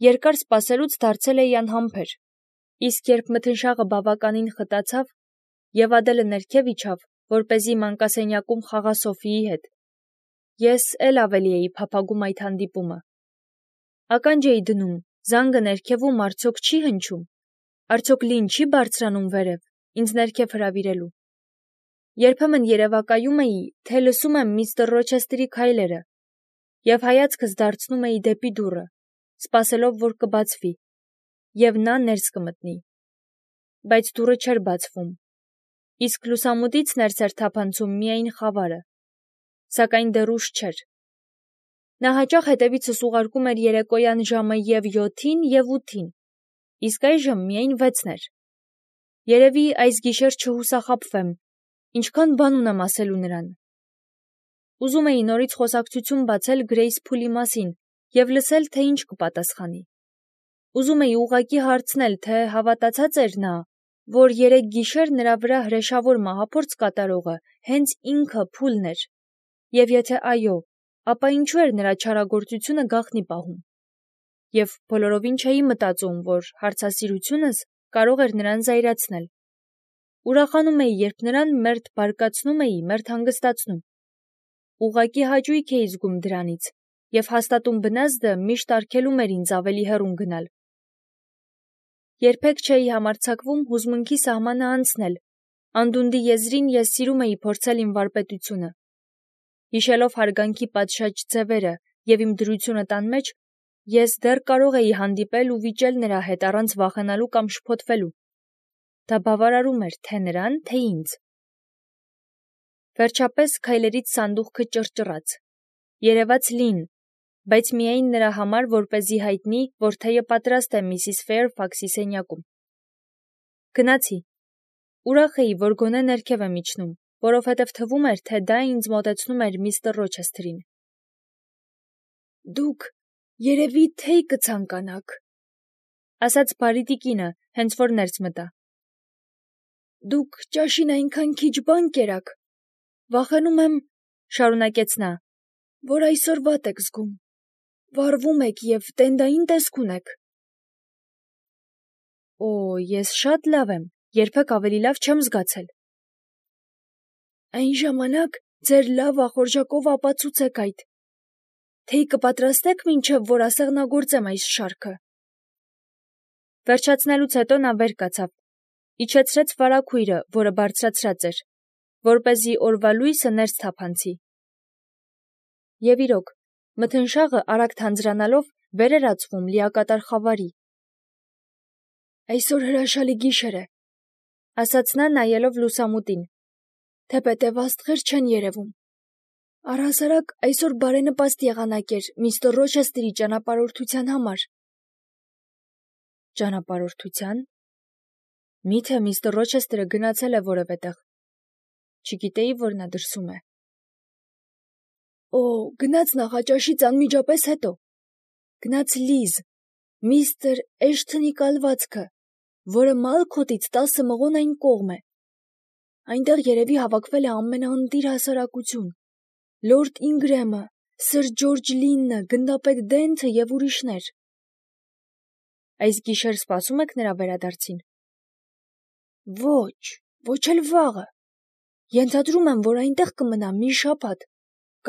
երկար սպասելուց դարձել էի անհամբեր, իսկ երբ մթնշաղը բավականին խտացավ և Ադելը ներքև իջավ, որպեսզի մանկասենյակում խաղա Սոֆիի հետ, ես էլ ավելի էի փափագում այդ հանդիպումը։ Ականջ էի դնում, զանգը ներքևում արդյոք չի հնչում, արդյոք Լին չի բարձրանում վերև, ինձ ներքև հրավիրելու։ Երբեմն երևակայում էի, թե լսում եմ միստր Ռոչեսթերի քայլերը, և հայացքս դարձնում էի դեպի դուռը, սպասելով, որ կբացվի, և նա ներս կմտնի։ Բայց դուռը չէր բացվում, իսկ լուսամուտից ներս էր թափանցում միայն խավարը, սակայն դեռ ուշ չէր։ Նա հաճախ հետևիցս ուղարկում էր երեկոյան ժամը և 7-ին և 8-ին, իսկ այժմ միայն 6-ն էր։ Երևի այս գիշեր չհուսախաբվեմ, ինչքան բան ունեմ ասելու նրան։ Ուզում էի նորից խոսակցություն բացել Գրեյս Փուլի մասին և լսել, թե ինչ կպատասխանի։ Ուզում էի ուղղակի հարցնել, թե հավատացած էր նա, որ երեկ գիշեր նրա վրա հրեշավոր մահափորձ կատարողը հենց ինքը Փուլն էր, և եթե այո, ապա ինչու էր նրա չարագործությունը գաղտնի պահում։ Եվ բոլորովին չէի մտածում, որ հարցասիրությունս կարող էր նրան զայրացնել։ Ուրախանում էի, երբ նրան մերթ բարկացնում էի, մերթ հանգստացնում։ Ուղղակի հաճույք էի զգում դրանից, և հաստատուն բնազդը միշտ արգելում էր ինձ ավելի հեռուն գնալ։ Երբեք չէի համարձակվում հուզմունքի սահմանը անցնել, անդունդի եզրին ես սիրում էի փորձել իմ վարպետությունը։ Հիշելով հարգանքի պատշաճ ձևերը և իմ դրությունը տան մեջ, ես դեռ կարող էի հանդիպել ու վիճել նրա հետ առանց վախենալու կամ շփոթվելու։ Դա բավարարում էր թե նրան, թե ինձ։ Վերջապես քայլերից սանդուղքը ճռճռաց։ Երևաց Լին, բայց միայն նրա համար, որպեսզի հայտնի, որ թեյը պատրաստ է Միսիս Ֆեյրֆաքսի սենյակում։ Գնացի։ Ուրախ էի, որ գոնե ներքև եմ իջնում, որովհետև թվում էր, թե դա ինձ մոտեցնում էր միստր Ռոչեսթերին։ Դուք երևի թեյ կցանկանաք, ասաց բարի տիկինը, հենց որ ներս մտա։ Դուք ճաշին այնքան քիչ բան կերաք, վախենում եմ, շարունակեց նա, որ այսօր վատ եք զգում, վառվում եք և տենդային տեսք ունեք։ Օ, ես շատ լավ եմ, երբեք ավելի լավ չեմ զգացել։ Այն ժամանակ ձեր լավ ախորժակով ապացուցեք այդ։ Թեյ կպատրաստեք, մինչև որ ասեղնագործեմ այս շարքը։ Վերջացնելուց հետո նա վեր կացավ, իջեցրեց վարագույրը, որը բարձրացրած էր, որպեսզի օրվա լույսը ներս թափանցի։ Եվ իրոք, մթնշաղը արագ թանձրանալով վեր էր ածվում լիակատար խավարի։ Այսօր հրաշալի գիշեր է, ասաց նա նայելով լուսամուտին, թեպետև աստղեր չեն երևում։ Առհասարակ այսօր բարենպաստ եղանակ էր միստր Ռոչեսթերի ճանապարհորդության համար։ Ճանապարհորդության։ Միթե միստր Ռոչեսթերը գնացել է որևէ տեղ։ Չգիտեի, որ նա դրսում է։ Օ, գնաց նախաճաշից անմիջապես հետո։ Գնաց Լիզ, միստր Էշթոնի կալվածքը, որը Մալքոթից 10 մղոն այն կողմ է։ Այնտեղ երևի հավաքվել է ամենաընտիր հասարակություն. Լորդ Ինգրեմը, սըր Ջորջ Լինը, գնդապետ Դենթը և ուրիշներ։ Այս գիշեր սպասում եք նրա վերադարձին։ Ոչ, ոչ էլ վաղը։ Ենթադրում եմ, որ այնտեղ կմնա մի շաբաթ,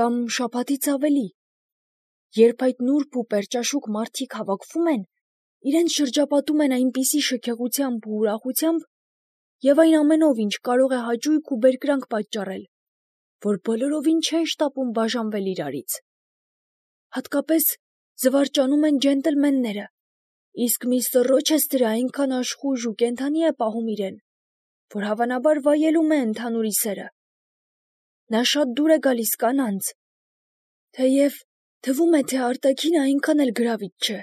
կամ շաբաթից ավելի։ Երբ այդ նուրբ ու պերճաշուք մարդիկ հավաքվում են, իրենց շրջապատում են այնպիսի շքեղությամբ ու ուրախությամբ և այն ամենով, ինչ կարող է հաճույք ու բերկրանք պատճառել, որ բոլորովին չեն շտապում բաժանվել իրարից։ Հատկապես զվարճանում են ջենտլմենները, իսկ միստր Ռոչեսթերը այնքան աշխույժ ու կենդանի է պահում իրեն, որ հավանաբար վայելում է ընդհանուրի սերը։ Նա շատ դուր է գալիս կանանց, թեև թվում է, թե արտաքինը այնքան էլ գրավիչ չէ,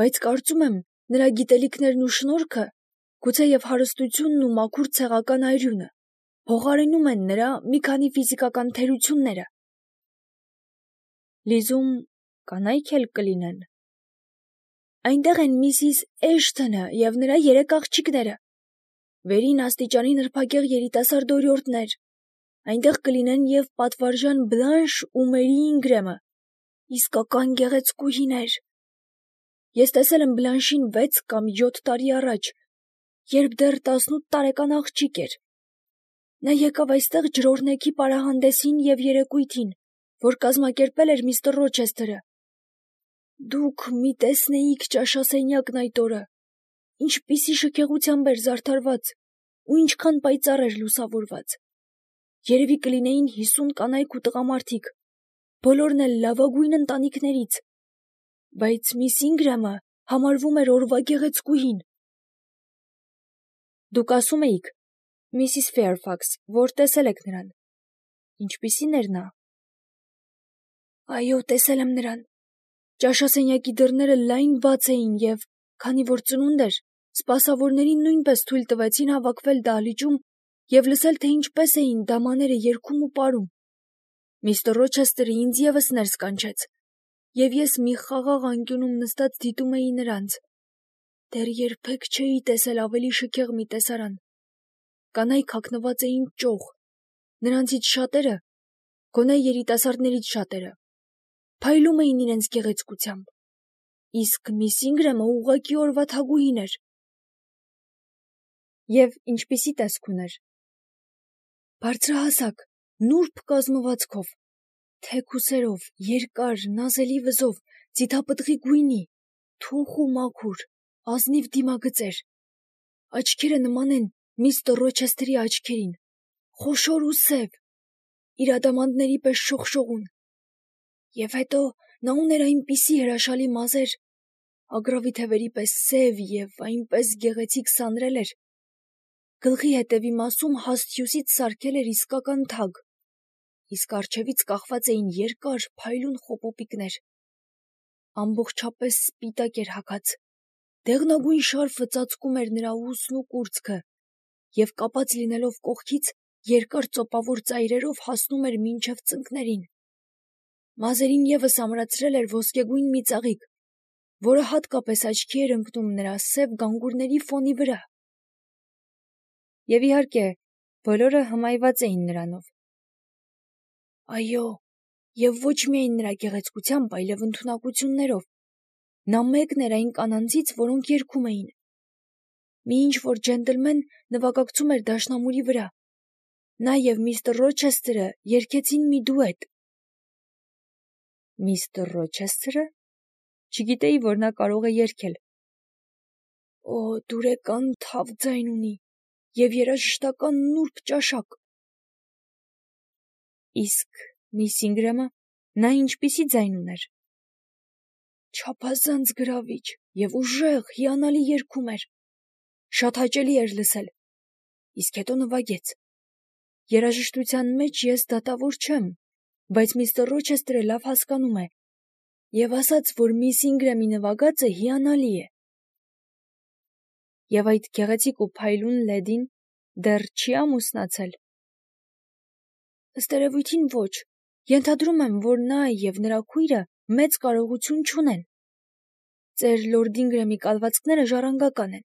բայց կարծում եմ, նրա գիտելիքներն ու շնորհքը, գուցեև հարստությունն ու մաքուր ցեղական այրությունը փոխարինում են նրա մի քանի ֆիզիկական թերությունները։ Լիզում կանայք էլ կլինեն։ Այնտեղ են Միսիս Էշթոնը և նրա 3 աղջիկները, վերին աստիճանի նրբագեղ երիտասարդ օրիորդներ, այնտեղ կլինեն և պատվարժան Բլանշ ու Մերի Ինգրեմը, իսկական գեղեցկուհիներ։ Ես տեսել եմ Բլանշին 6 կամ 7 տարի առաջ, երբ դեռ 18 տարեկան աղջիկ էր։ Նա եկավ այստեղ ջրօրհնեքի պարահանդեսին և երեկույթին, որ կազմակերպել էր միստր Ռոչեսթերը։ Դուք մի տեսնեիք ճաշասենյակն այդ օրը, ինչպիսի շքեղությամբ էր զարդարված ու ինչքան պայծառ էր լուսավորված։ Երևի կլինեին 50 կանայք ու տղամարդիկ, բոլորն էլ լավագույն ընտանիքներից, բայց միս Ինգրամը համարվում էր օրվա գեղեցկուհին։ Դուք ասում էիք, Միսիս Ֆեարֆաքս, որ տեսել եք նրան։ Ինչպիսի՞ն էր նա։ Այո, տեսել եմ նրան։ Ճաշասենյակի դռները լայն բաց էին և, քանի որ ծնունդ էր, սպասավորներին նույնպես թույլ տվեցին հավաքվել դահլիճում և լսել, թե ինչպես էին դամաները երգում ու պարում։ Միստր Ռոչեսթերը ինձ ևս ներս կանչեց, և ես մի խաղաղ անկյունում նստած դիտում էի նրանց։ Դեռ երբեք չէի տեսել ավելի շքեղ մի տեսարան։ Կանայք հագնված էին ճոխ, նրանցից շատերը, գոնե երիտասարդներից շատերը, փայլում էին իրենց գեղեցկությամբ, իսկ միս Ինգրամը ուղղակի օրվա թագուհին էր։ Եվ ինչպիսի տեսք ուներ։ Բարձրահասակ, նուրբ կազմվածքով, թեք ուսերով, երկար, նազելի վզով, ձիթապտղի գույնի, թուխ ու մաքուր, ազնիվ դիմագծեր, աչքերը նման են միստր Ռոչեսթերի աչքերին, խոշոր ու սև, իր ադամանդների պես շողշողուն։ Եվ հետո նա ուներ այնպիսի հրաշալի մազեր, ագռավի թևերի պես սև և այնպես գեղեցիկ սանրել էր, գլխի հետևի մասում հաստ հյուսից սարքել էր իսկական թագ, իսկ առջևից կախված էին երկար փայլուն խոպոպիկներ։ Ամբողջապես սպիտակ էր հագած, դեղնագույն շարֆը ծածկում էր նրա ուսն ու կուրծքը, և կապած լինելով կողքից, երկար ծոպավոր ծայրերով հասնում էր մինչև ծնկներին։ Մազերին ևս ամրացրել էր ոսկեգույն մի ծաղիկ, որը հատկապես աչքի էր ընկնում նրա սև գանգուրների ֆոնի վրա։ Եվ իհարկե, բոլորը հմայված էին նրանով։ Այո, և ոչ միայն նրա գեղեցկությամբ, այլև ընդունակություններով։ Նա մեկն էր այն կանանցից, որոնք երգում էին։ Մի ինչ-որ ջենտլմեն նվագակցում էր դաշնամուրի վրա։ Նա և միստր Ռոչեսթերը երգեցին մի դուետ։ Միստր Ռոչեսթերը։ Չգիտեի, որ նա կարող է երգել։ Օ, դուրեկան թավ ձայն ունի և երաժշտական նուրբ ճաշակ։ Իսկ միս Ինգրամը, նա ինչպիսի ձայն ուներ։ Չափազանց գրավիչ և ուժեղ, հիանալի երգում էր։ Շատ հաճելի էր լսել։ Իսկ հետո նվագեց։ Երաժշտության մեջ ես դատավոր չեմ, բայց միստր Ռոչեսթերը լավ հասկանում է և ասաց, որ միս Ինգրամի նվագածը հիանալի է։ Եվ այդ գեղեցիկ ու փայլուն լեդին դեռ չի ամուսնացել։ Ըստ երևույթին ոչ, ենթադրում եմ, որ նա և նրա քույրը մեծ կարողություն չունեն։ Ծեր լորդ Ինգրամի կալվածքները ժառանգական են,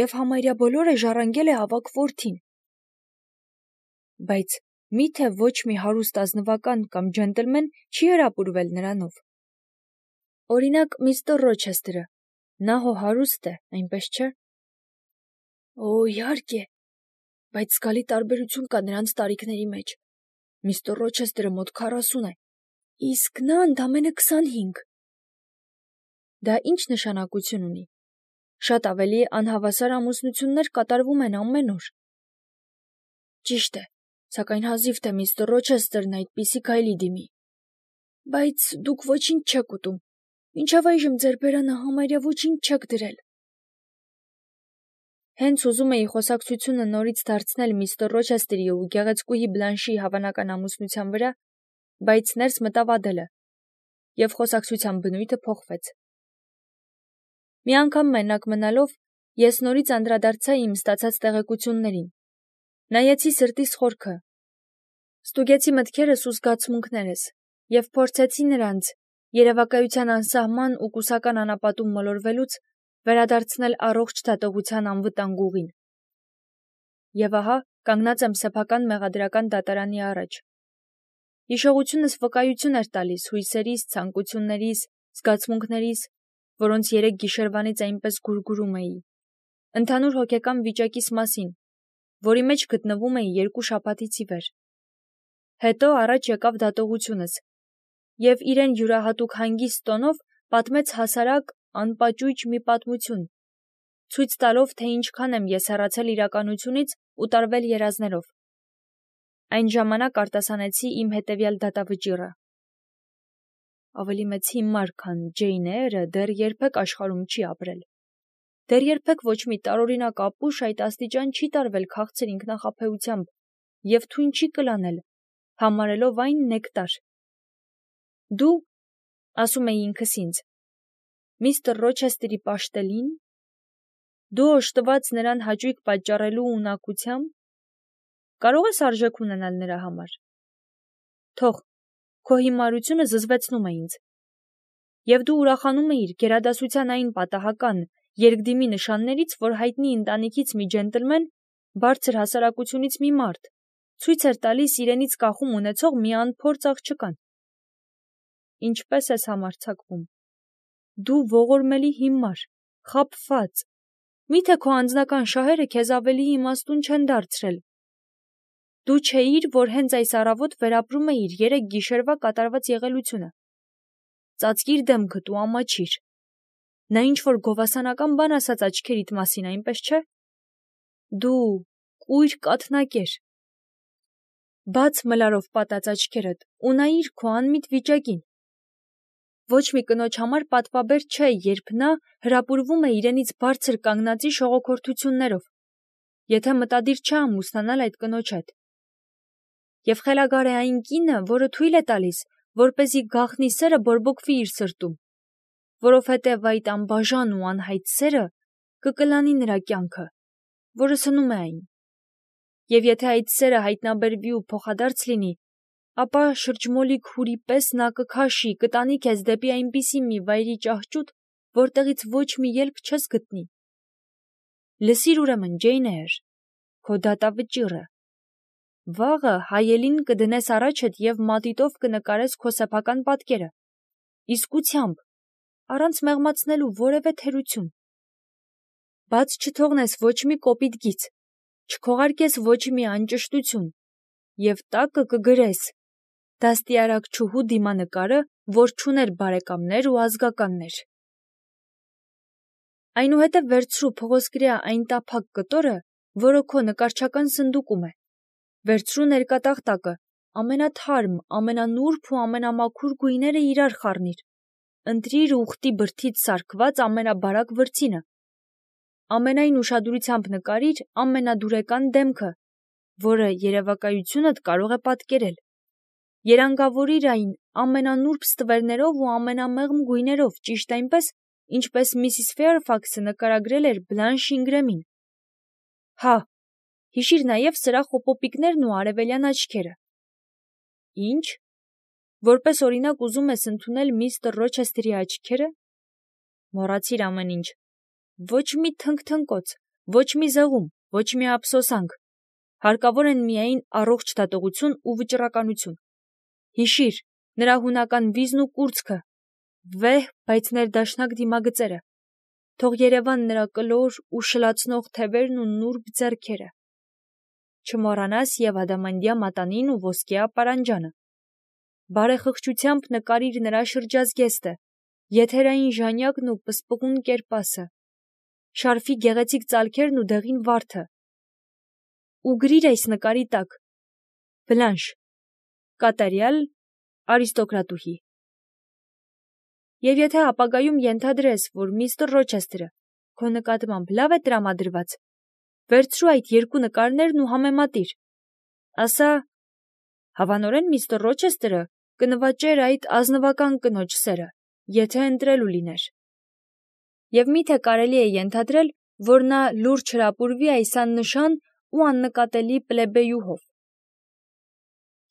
և համարյա բոլորը ժառանգել է ավագ որդին։ Բայց մի՞թե ոչ մի հարուստ ազնվական կամ ջենտլմեն չի հրապուրվել նրանով։ Օրինակ, միստր Ռոչեսթերը, նա հո հարուստ է, այնպես չէ։ Օ, իհարկե, բայց զգալի տարբերություն կա նրանց տարիքների մեջ։ Միստր Ռոչեսթերը մոտ 40 է, իսկ նա ընդամենը 25։ Դա ինչ նշանակություն ունի։ Շատ ավելի անհավասար ամուսնություններ կատարվում են ամեն օր։ Ճիշտ է, սակայն հազիվ թե միստր Ռոչեսթերն այդպիսի քայլի դիմի։ Բայց դուք ոչինչ չեք ուտում։ Մինչև այժմ ձեր բերանը համարյա ոչինչ չեք դրել։ Հենց ուզում էի խոսակցությունը նորից դարձնել միստր Ռոչեսթերի ու գեղեցկուհի Բլանշի հավանական ամուսնության վրա, բայց ներս մտավ Ադելը, և խոսակցության բնույթը փոխվեց։ Մի անգամ մենակ մնալով, ես նորից անդրադարձա իմ ստացած տեղեկություններին։ Նայեցի սրտիս խորքը, ստուգեցի մտքերս ու զգացմունքներս և փորձեցի նրանց, երևակայության անսահման ու կուսական անապատում մոլորվելուց, վերադարձնել առողջ դատողության անվտանգ ուղին։ Եվ ահա կանգնած եմ սեփական մեղադրական դատարանի առաջ։ Հիշողությունս վկայություն էր տալիս հույսերիս, ցանկություններիս, զգացմունքներիս, որոնց 3 գիշերվանից այնպես գուրգուրում էի, ընդհանուր հոգեկան վիճակիս մասին, որի մեջ գտնվում էի 2 շաբաթից ի վեր։ Հետո առաջ եկավ դատողությունս, և իրեն յուրահատուկ հանգիստ տոնով պատմեց հասարակ, անպաճույճ մի պատմություն, ցույց տալով, թե ինչքան եմ ես հեռացել իրականությունից ու տարվել երազներով։ Այն ժամանակ արտասանեցի իմ հետևյալ դատավճիռը. ավելի մեծ հիմար, քան Ջեյն Էյրը դեռ երբեք աշխարհում չի ապրել։ Դեռ երբեք ոչ մի տարօրինակ ապուշ այդ աստիճան չի տարվել քաղցր ինքնախաբեությամբ և թույն չի կլանել, համարելով այն նեկտար։ Դու, ասում էի ինքս ինձ, միստր Ռոչեսթերի պաշտելին, դու օժտված նրան հաճույք պատճառելու ունակությամբ, կարող ես արժեք ունենալ նրա համար։ Թող, քո հիմարությունը զզվեցնում է ինձ։ Եվ դու ուրախանում էիր գերադասության այն պատահական երկդիմի նշաններից, որ հայտնի ընտանիքից մի ջենտլմեն, բարձր հասարակությունից մի մարդ, ցույց էր տալիս իրենից կախում ունեցող մի անփորձ աղջկան։ Ինչպես ես համարձակվում։ Դու ողորմելի հիմար, խաբված։ Միթե քո անձնական շահերը քեզ ավելի իմաստուն չեն դարձրել։ Դու չէիր, որ հենց այս առավոտ վերապրում էիր 3 գիշերվա կատարված եղելությունը։ Ծածկիր դեմքդ ու ամաչիր։ Նա ինչ-որ գովասանական բան ասաց աչքերիդ մասին, այնպես չէ։ Դու, կույր կաթնակեր։ Բաց մլարով պատած աչքերդ ու նայիր քո անմիտ վիճակին։ Ոչ մի կնոջ համար պատվաբեր չէ, երբ նա հրապուրվում է իրենից բարձր կանգնածի շողոքորթություններով, եթե մտադիր չէ ամուսնանալ այդ կնոջ հետ։ Եվ խելագար է այն կինը, որը թույլ է տալիս, որպեսզի գաղտնի սերը բորբոքվի իր սրտում, որովհետև այդ անբաժան ու անհայտ սերը կկլանի նրա կյանքը, որը սնում է այն։ Եվ եթե այդ սերը հայտնաբերվի ու փոխադարձ լինի, ապա շրջմոլիկ հուրի պես նա կքաշի, կտանի քեզ դեպի այնպիսի մի վայրի ճահճուտ, որտեղից ոչ մի ելք չես գտնի։ Լսիր ուրեմն, Ջեյն Էյր, քո դատավճիռը։ Վաղը հայելին կդնես առաջդ և մատիտով կնկարես քո սեփական պատկերը, իսկությամբ, առանց մեղմացնելու որևէ թերություն։ Բաց չթողնես ոչ մի կոպիտ գիծ, չքողարկես ոչ մի անճշտություն, և տակը կգրես դաստիարակչուհու դիմանկարը, որ չուներ բարեկամներ ու ազգականներ։ Այնուհետև վերցրու փղոսկրյա այն տափակ կտորը, որը քո նկարչական սնդուկում է, վերցրու ներկատախտակը, ամենաթարմ, ամենանուրբ ու ամենամաքուր գույները իրար խառնիր, ընտրիր ուխտի բրդից սարքված ամենաբարակ վրձինը, ամենայն ուշադրությամբ նկարիր ամենադուրեկան դեմքը, որը երևակայությունդ կարող է պատկերել, երանգավորիր այն ամենանուրբ ստվերներով ու ամենամեղմ գույներով, ճիշտ այնպես, ինչպես Միսիս Ֆեյրֆաքսը նկարագրել էր Բլանշ Ինգրեմին։ Հա, հիշիր նաև սրա խոպոպիկներն ու արևելյան աչքերը։ Ինչ։ Որպես օրինակ ուզում ես ընդունել միստր Ռոչեսթերի աչքերը։ Մոռացիր ամեն ինչ։ Ոչ մի թնգթնկոց, ոչ մի զեղում, ոչ մի ափսոսանք։ Հարկավոր են միայն առողջ դատողություն ու վճռականություն։ Հիշիր նրա հունական վիզն ու կուրծքը, վեհ, բայց ներդաշնակ դիմագծերը։ Թող երևան նրա կլոր ու շլացնող թևերն ու նուրբ ձեռքերը։ Չմոռանաս և ադամանդյա մատանին ու ոսկյա պարանջանը։ Բարեխղճությամբ նկարիր նրա շրջազգեստը, եթերային ժանյակն ու պսպղուն կերպասը, շարֆի գեղեցիկ ծալքերն ու դեղին վարդը։ Ու գրիր այս նկարի տակ. Բլանշ, կատարյալ արիստոկրատուհի։ Եվ եթե ապագայում ենթադրես, որ միստր Ռոչեսթերը քո նկատմամբ լավ է տրամադրված, վերցրու այդ 2 նկարներն ու համեմատիր։ Ասա, հավանորեն միստր Ռոչեսթերը կնվաճեր այդ ազնվական կնոջ սերը, եթե ընտրելու լիներ։ Եվ միթե կարելի է ենթադրել, որ նա լուրջ հրապուրվի այս աննշան ու աննկատելի պլեբեյուհով։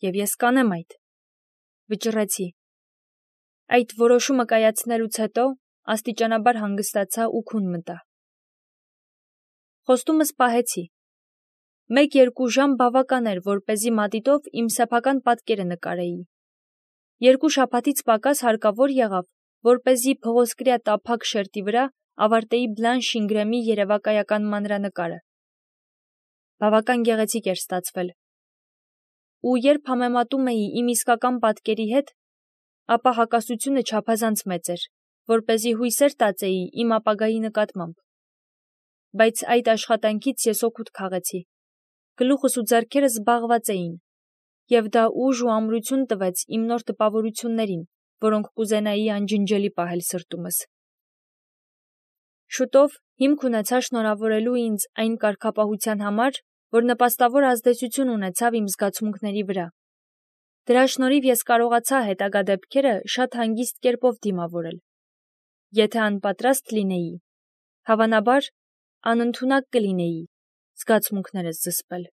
Եվ ես կանեմ այդ, վճռեցի։ Այդ որոշումը կայացնելուց հետո աստիճանաբար հանգստացա ու քուն մտա։ Խոստումս պահեցի։ 1-2 ժամ բավական էր, որպեսզի մատիտով իմ սեփական պատկերը նկարեի։ 2 շաբաթից պակաս հարկավոր եղավ, որպեսզի փղոսկրյա տափակ շերտի վրա ավարտեի բլանշ Ինգրեմի երևակայական մանրանկարը։ Բավական գեղեցիկ էր ստացվել։ Ու երբ համեմատում էի իմ իսկական պատկերի հետ, ապա հակասությունը չափազանց մեծ էր, որպեսզի հույսեր տածեի իմ ապագայի նկատմամբ։ Բայց այդ աշխատանքից ես օգուտ քաղեցի։ Գլուխս ու ձեռքերս զբաղված էին, և դա ուժ ու ամրություն տվեց իմ նոր տպավորություններին, որոնք կուզենայի անջնջելի պահել սրտումս։ Շուտով հիմք ունեցա շնորհավորելու ինձ այն կարգապահության համար, որ նպաստավոր ազդեցություն ունեցավ իմ զգացմունքների վրա։ Դրա շնորհիվ ես կարողացա հետագա դեպքերը շատ հանգիստ կերպով դիմավորել։ Եթե անպատրաստ լինեի, հավանաբար անընդունակ կլինեի զգացմունքներս զսպել։